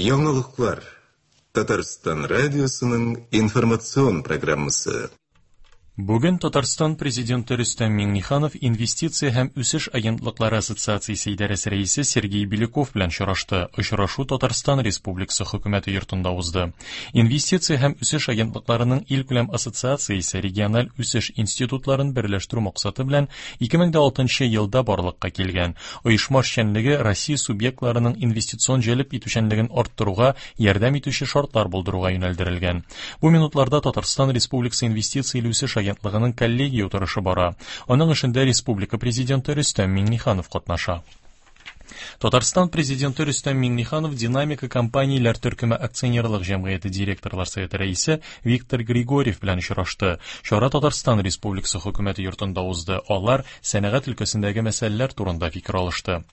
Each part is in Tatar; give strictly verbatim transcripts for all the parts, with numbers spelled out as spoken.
Яңалыклар. Татарстан радиосының информацион программасы. Бүген Татарстан президенты Рөстәм Миңнеханов Инвестиция һәм үсеш агентлыклары ассоциациясе идарәсе рәисе Сергей Беляков белән очрашты. Очрашу Татарстан Республикасы хөкүмәте йортында узды. Инвестиция һәм үсеш агентлыкларының илкүләм ассоциациясе региональ үсеш институтларын берләштерү максаты белән ике мең дә алтынчы елда барлыкка килгән. Оешма эшчәнлеге Россия субъектларының инвестицион җәлеп итүчәнлеген арттыруга ярдәм итүче шартлар булдыруга юнәлдерелгән. Бу минутларда Татарстан Республикасы инвестиция үсеш агентлыгының коллегия утырышы бара. Аның эшендә республика президенты Рөстәм Миңнеханов катнаша. Татарстан президенты Рөстәм Миңнеханов Динамика компанияләр төркеме акционерлык җәмгыяте директорлар советы рәисе Виктор Григорьев белән очрашты. Чара Татарстан Республикасы хөкүмәте йортында узды. Алар сәнәгать өлкәсендәге мәсьәләләр турында фикер алышты.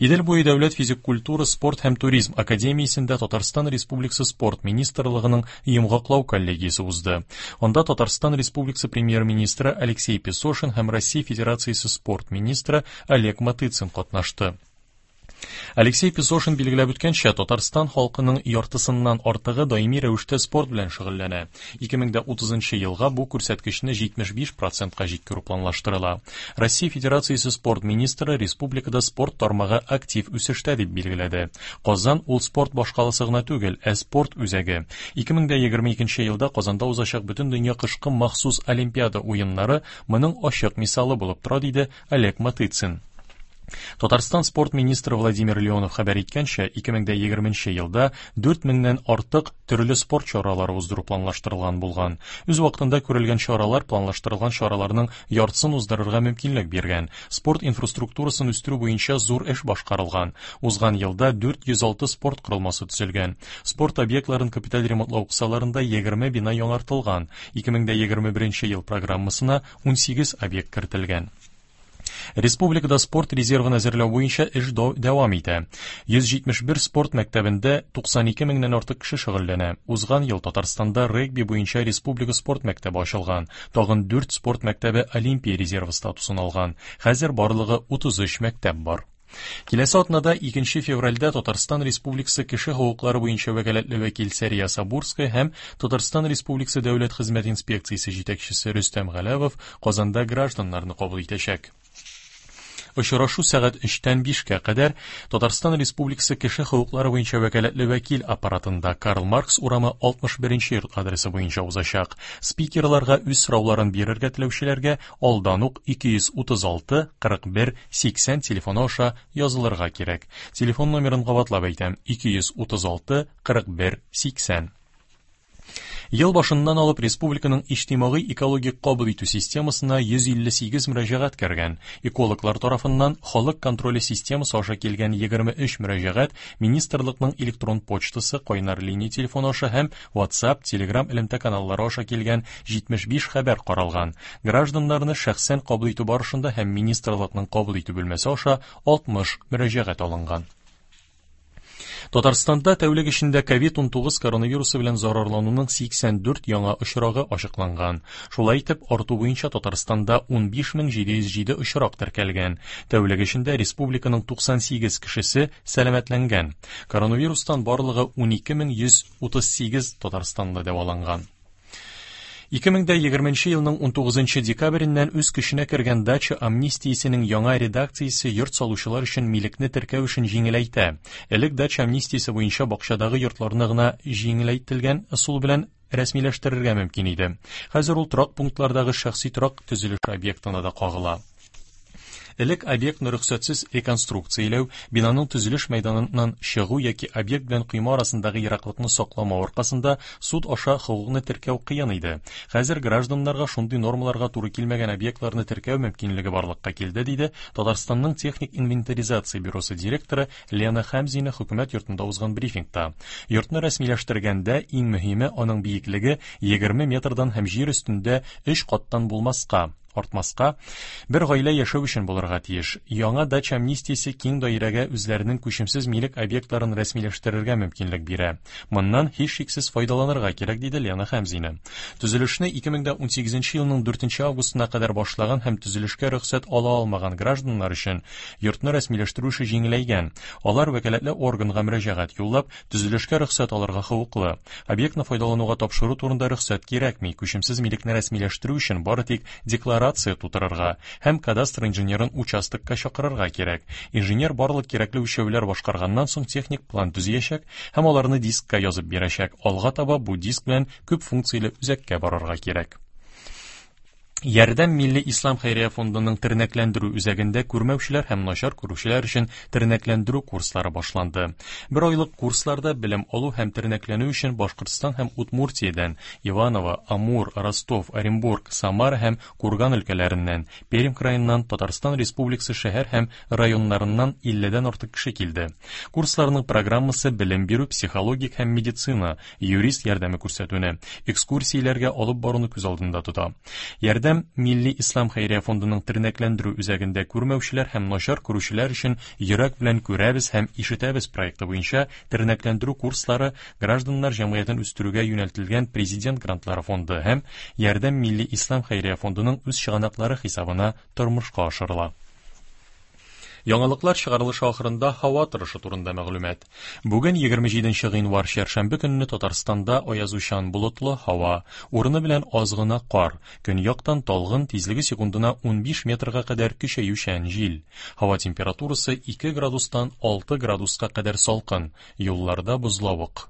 Идел буе дәүләт физик культура, спорт һәм туризм академиясендә Татарстан Республикасы спорт министрлыгының йомгаклау коллегиясе узды. Анда Татарстан Республикасы премьер-министры Алексей Песошин һәм Россия Федерациясе спорт министры Олег Матыцин катнашты. Алексей Песошин билгеләп үткәнчә, Татарстан халкының яртысыннан артыгы даими рәвештә спорт белән шөгыльләнә. ике мең дә утызынчы елга бу күрсәткечне җитмеш биш процентка җиткерү планлаштырыла. Россия Федерациясе спорт министры республикада спорт тармагы актив үсештә дип билгеләде. Казан ул спорт башкаласы гына түгел, ә спорт үзәге. ике мең дә егерме икенче елда Казанда узачак Бөтендөнья кышкы махсус Олимпиада уеннары моның ачык мисалы булып тора, диде Олег Матыцин. Татарстан спорт министры Владимир Леонов хәбәр иткәнчә, ике мең дә егерменче елда дүрт меңнән артык төрле спорт чаралары уздыру планлаштырылган булган. Үз вакытында күрелгән чаралар планлаштырылган чараларның яртысын уздырырга мөмкинлек биргән. Спорт инфраструктурасын үстерү буенча зур эш башкарылган. Узган елда дүрт йөз алты спорт корылмасы төзелгән. Спорт объектларын капиталь ремонтлау кысаларында егерме бина яңартылган. ике мең дә егерме беренче ел программасына ун сигез объект кертелгән. Республикада спорт резервын әзерләү буенча эш дәвам итә. Йөз җитмеш бер спорт мәктәбендә туксан ике меңнән артык кеше шөгыльләнә. Узган ел Татарстанда регби буенча республика спорт мәктәбе ачылган. Тагын дүрт спорт мәктәбе Олимпия резервы статусын алган. Хәзер барлыгы утыз өч мәктәп бар. Киләсе атнада икенче февральдә Татарстан Республикасы кеше хокуклары буенча вәкаләтле вәкил Сәрия Сабурская һәм Татарстан Республикасы Дәүләт хезмәт инспекциясе җитәкчесе Рөстәм Галәвов Казанда гражданнарны кабул итәчәк. Очрашу сәгать өчтән бишкә кадәр Татарстан Республикасы кеше хокуклары буенча вәкаләтле вәкил аппаратында Карл Маркс урамы алтмыш беренче йорт адресы буенча узачак. Спикерларга үз сорауларын бирергә теләүчеләргә алдан ук ике йөз утыз алты кырык бер сиксән телефоны аша язылырга кирәк. Телефон номерын кабатлап әйтәм: ике йөз утыз алты кырык бер сиксән. Ел башыннан алып республиканың иҗтимагый экологик кабул итү системасына йөз илле сигез мөрәҗәгать кергән. Экологлар тарафыннан халык контроле системасы аша килгән егерме өч мөрәҗәгать министрлыкның электрон почтасы, кайнар линия телефоны аша һәм WhatsApp, Telegram элемтә каналлары аша килгән җитмеш биш хәбәр каралган. Гражданнарны шәхсән кабул итү барышында һәм министрлыкның кабул итү бүлмәсе аша алтмыш мөрәҗәгать алынган. Татарстанда тәүлек эчендә ковид унтугыз коронавирусы белән зарарлануның сиксән дүрт яңа очрагы ачыкланган. Шулай итеп, арту буенча Татарстанда ун биш мең җиде йөз җиде очрак теркәлгән. Тәүлек эчендә республиканың туксан сигез кешесе сәламәтләнгән. Коронавирустан барлыгы ун ике мең йөз утыз сигез татарстанлы дәваланган. Ике мең дә егерменче елның унтугызынчы декабреннән үз көченә кергән дача амнистиясенең яңа редакциясе йорт салучылар өчен милекне теркәү эшен җиңеләйтә. Элек дача амнистиясе буенча бакчадагы йортларны гына җиңеләйтелгән ысул белән рәсмиләштерергә мөмкин иде. Хәзер ул торак пунктлардагы шәхси торак төзелеше объектына да кагыла. Элек объектны рөхсәтсез реконструкцияләү, бинаның төзелеш мәйданыннан чыгу яки объект белән койма арасындагы ераклыкны сакламау аркасында суд аша хокукны теркәү кыен иде. Хәзер гражданнарга шундый нормаларга туры килмәгән объектларны теркәү мөмкинлеге барлыкка килде, диде Татарстанның техник инвентаризация бюросы директоры Лена Хәмзина хөкүмәт йортында узган брифингта. Йортны рәсмиләштергәндә иң мөһиме аның биеклеге егерме метрдан һәм җир өстендә өч каттан булмаска. артмаска, бер гаилә яшәү өчен булырга тиеш. Яңа дача амнистиясе киң даирәгә үзләренең күчемсез милек объектларын рәсмиләштерергә мөмкинлек бирә. Моннан һичшиксез файдаланырга кирәк, диде Лена Хәмзина. Төзелешне ике мең дә унсигезенче елның дүртенче августына кадәр башлаган һәм төзелешкә рөхсәт ала алмаган гражданнар өчен йортны рәсмиләштерү эше җиңеләйгән. Алар вәкаләтле органга мөрәҗәгать юллап, төзелешкә рөхсәт алырга хокуклы. Объектны файдалануга тапшыру турында рөхсәт кирәкми. Күчемсез милекне рәсмиләштерү өчен бары тик декларация тутырырга һәм кадастр инженерын участокка чакырырга кирәк. Инженер барлык кирәкле үлчәүләр башкарганнан соң техник план төзиячәк һәм аларны дискка язып бирәчәк. Алга таба бу диск белән күп функцияле үзәккә барырга кирәк. Ярдәм Милли Ислам Хәйрия фондының тернәкләндерү үзәгендә күрмәүчеләр һәм начар күрүчеләр өчен тернәкләндерү курслары башланды. Бер айлык курсларда белем алу һәм тернәкләнү өчен Башкортстан һәм Удмуртиядән, Иваново, Амур, Ростов, Оренбург, Самара һәм Курган өлкәләреннән, Пермь краеннан, Татарстан Республикасы шәһәр һәм районнарыннан илледән артык кеше килде. Курсларның программасы белем бирү, психологик һәм медицина, юрист ярдәме күрсәтүне, экскурсияләргә алып баруны күз алдында тота. Ярдәм Милли Ислам Хәйрия фондының тернәкләндерү үзәгендә күрмәүчеләр һәм начар күрүчеләр өчен йөрәк белән күрәбез һәм ишетәбез проекты буенча тернәкләндерү курслары гражданнар җәмгыятен үстерүгә юнәлтелгән Президент грантлары фонды һәм Ярдәм Милли Ислам Хәйрия фондының үз чыганаклары хисабына тормышка ашырыла. Яңалыклар чыгарылышы ахырында һава торышы турында мәгълүмат. Бүген егерме җиденче гыйнвар чәршәмбе көнне Татарстанда аязучан болытлы һава, урыны белән аз гына кар, көньяктан талгын тизлеге секундына унбиш метрга кадәр көчәючән җил. Һава температурасы ике градустан алты градуска кадәр салкын, юлларда бозлавык.